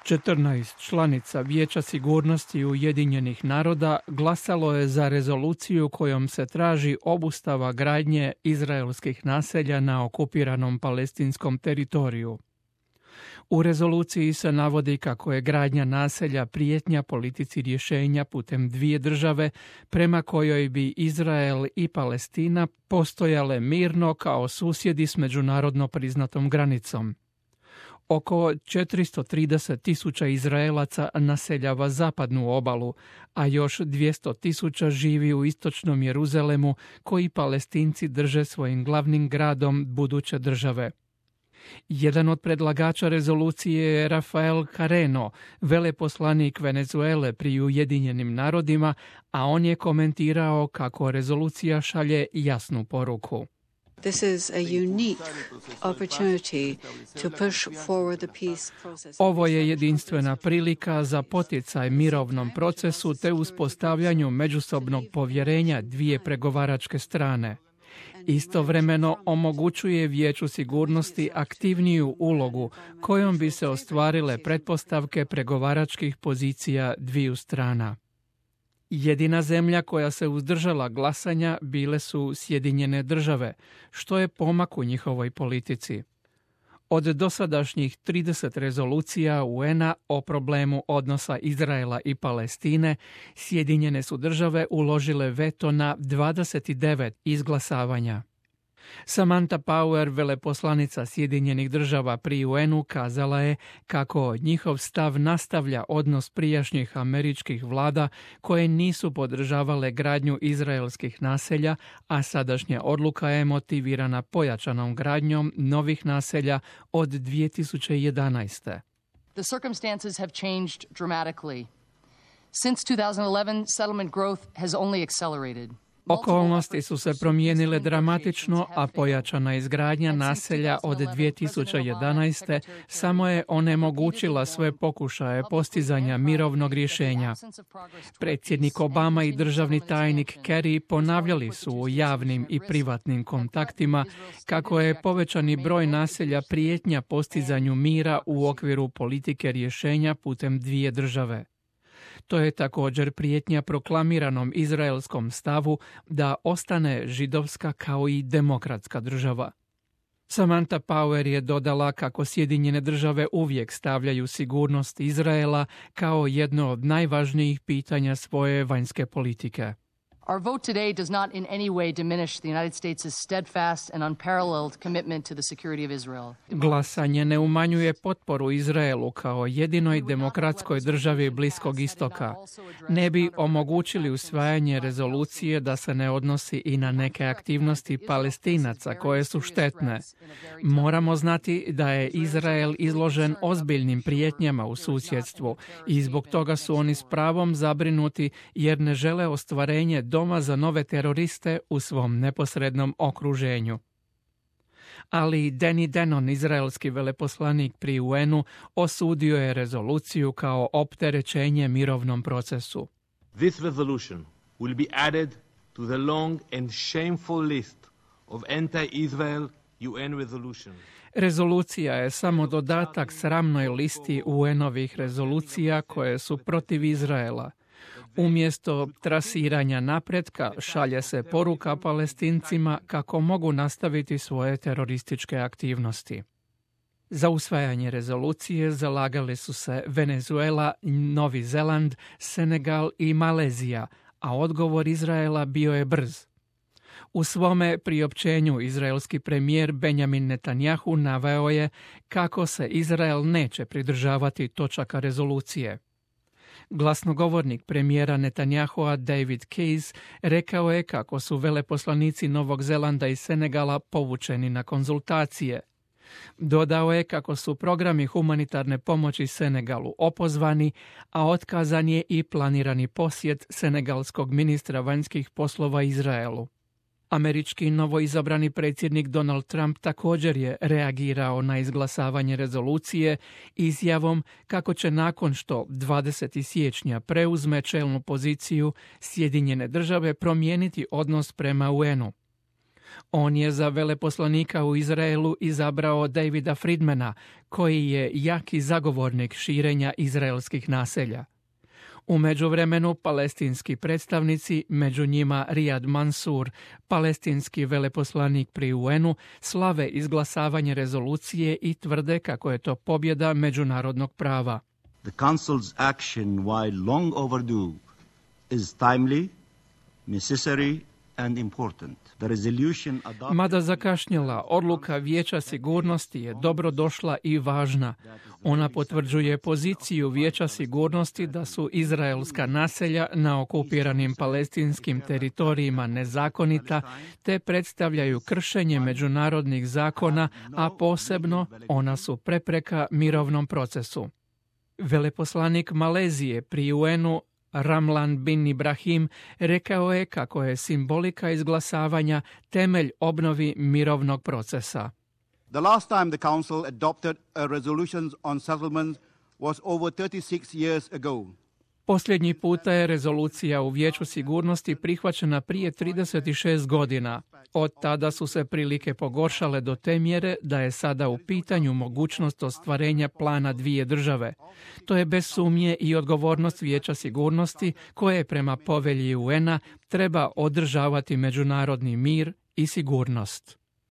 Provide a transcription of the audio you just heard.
14 članica Vijeća sigurnosti Ujedinjenih naroda glasalo je za rezoluciju kojom se traži obustava gradnje izraelskih naselja na okupiranom palestinskom teritoriju. U rezoluciji se navodi kako je gradnja naselja prijetnja politici rješenja putem dvije države prema kojoj bi Izrael i Palestina postojale mirno kao susjedi s međunarodno priznatom granicom. Oko 430.000 Izraelaca naseljava zapadnu obalu, a još 200.000 živi u istočnom Jeruzalemu, koji Palestinci drže svojim glavnim gradom buduće države. Jedan od predlagača rezolucije je Rafael Carreno, veleposlanik Venezuele pri Ujedinjenim narodima, a on je komentirao kako rezolucija šalje jasnu poruku. This is a unique opportunity to push forward the peace process. Ovo je jedinstvena prilika za poticaj mirovnom procesu te uspostavljanju međusobnog povjerenja dvije pregovaračke strane. Istovremeno omogućuje Vijeću sigurnosti aktivniju ulogu kojom bi se ostvarile pretpostavke pregovaračkih pozicija dviju strana. Jedina zemlja koja se uzdržala glasanja bile su Sjedinjene države, što je pomak u njihovoj politici. Od dosadašnjih 30 rezolucija UN-a o problemu odnosa Izraela i Palestine, Sjedinjene su države uložile veto na 29 izglasavanja. Samantha Power, veleposlanica Sjedinjenih država pri UN-u, kazala je kako njihov stav nastavlja odnos prijašnjih američkih vlada koje nisu podržavale gradnju izraelskih naselja, a sadašnja odluka je motivirana pojačanom gradnjom novih naselja od 2011. The circumstances have changed dramatically. Since 2011, settlement growth has only accelerated. Okolnosti su se promijenile dramatično, a pojačana izgradnja naselja od 2011. samo je onemogućila sve pokušaje postizanja mirovnog rješenja. Predsjednik Obama i državni tajnik Kerry ponavljali su u javnim i privatnim kontaktima kako je povećani broj naselja prijetnja postizanju mira u okviru politike rješenja putem dvije države. To je također prijetnja proklamiranom izraelskom stavu da ostane židovska kao i demokratska država. Samantha Power je dodala kako Sjedinjene države uvijek stavljaju sigurnost Izraela kao jedno od najvažnijih pitanja svoje vanjske politike. Our vote today does not in any way diminish the United States' steadfast and unparalleled commitment to the security of Israel. Glasanje ne umanjuje potporu Izraelu kao jedinoj demokratskoj državi Bliskog istoka. Ne bi omogućili usvajanje rezolucije da se ne odnosi i na neke aktivnosti Palestinaca koje su štetne. Moramo znati da je Izrael izložen ozbiljnim prijetnjama u susjedstvu i zbog toga su oni s pravom zabrinuti jer ne žele ostvarenje doma za nove teroriste u svom neposrednom okruženju. Ali Danny Danon, izraelski veleposlanik pri UN-u, osudio je rezoluciju kao opterećenje mirovnom procesu. This resolution will be added to the long and shameful list of anti-Israel UN resolutions. Rezolucija je samo dodatak sramnoj listi UN-ovih rezolucija koje su protiv Izraela. Umjesto trasiranja napretka šalje se poruka Palestincima kako mogu nastaviti svoje terorističke aktivnosti. Za usvajanje rezolucije zalagali su se Venezuela, Novi Zeland, Senegal i Malezija, a odgovor Izraela bio je brz. U svome priopćenju izraelski premijer Benjamin Netanjahu naveo je kako se Izrael neće pridržavati točaka rezolucije. Glasnogovornik premijera Netanjahua David Keyes rekao je kako su veleposlanici Novog Zelanda i Senegala povučeni na konzultacije. Dodao je kako su programi humanitarne pomoći Senegalu opozvani, a otkazan je i planirani posjet senegalskog ministra vanjskih poslova Izraelu. Američki novoizabrani predsjednik Donald Trump također je reagirao na izglasavanje rezolucije izjavom kako će nakon što 20. siječnja preuzme čelnu poziciju Sjedinjene države promijeniti odnos prema UN-u. On je za veleposlanika u Izraelu izabrao Davida Friedmana, koji je jaki zagovornik širenja izraelskih naselja. U međuvremenu palestinski predstavnici, među njima Riyad Mansour, palestinski veleposlanik pri UN-u, slave izglasavanje rezolucije i tvrde kako je to pobjeda međunarodnog prava. The Council's action, while long overdue, is timely, necessary and important. The resolution adopted... Mada zakašnjela, odluka Vijeća sigurnosti je dobro došla i važna. Ona potvrđuje poziciju Vijeća sigurnosti da su izraelska naselja na okupiranim palestinskim teritorijima nezakonita, te predstavljaju kršenje međunarodnih zakona, a posebno ona su prepreka mirovnom procesu. Veleposlanik Malezije pri UN-u Ramlan bin Ibrahim rekao je kako je simbolika izglasavanja temelj obnovi mirovnog procesa. The last time the Council adopted a resolution on settlements was over 36 years ago. Posljednji puta je rezolucija u Vijeću sigurnosti prihvaćena prije 36 godina. Od tada su se prilike pogoršale do te mjere da je sada u pitanju mogućnost ostvarenja plana dvije države. To je bez sumnje i odgovornost Vijeća sigurnosti koje prema povelji UN-a treba održavati međunarodni mir i sigurnost.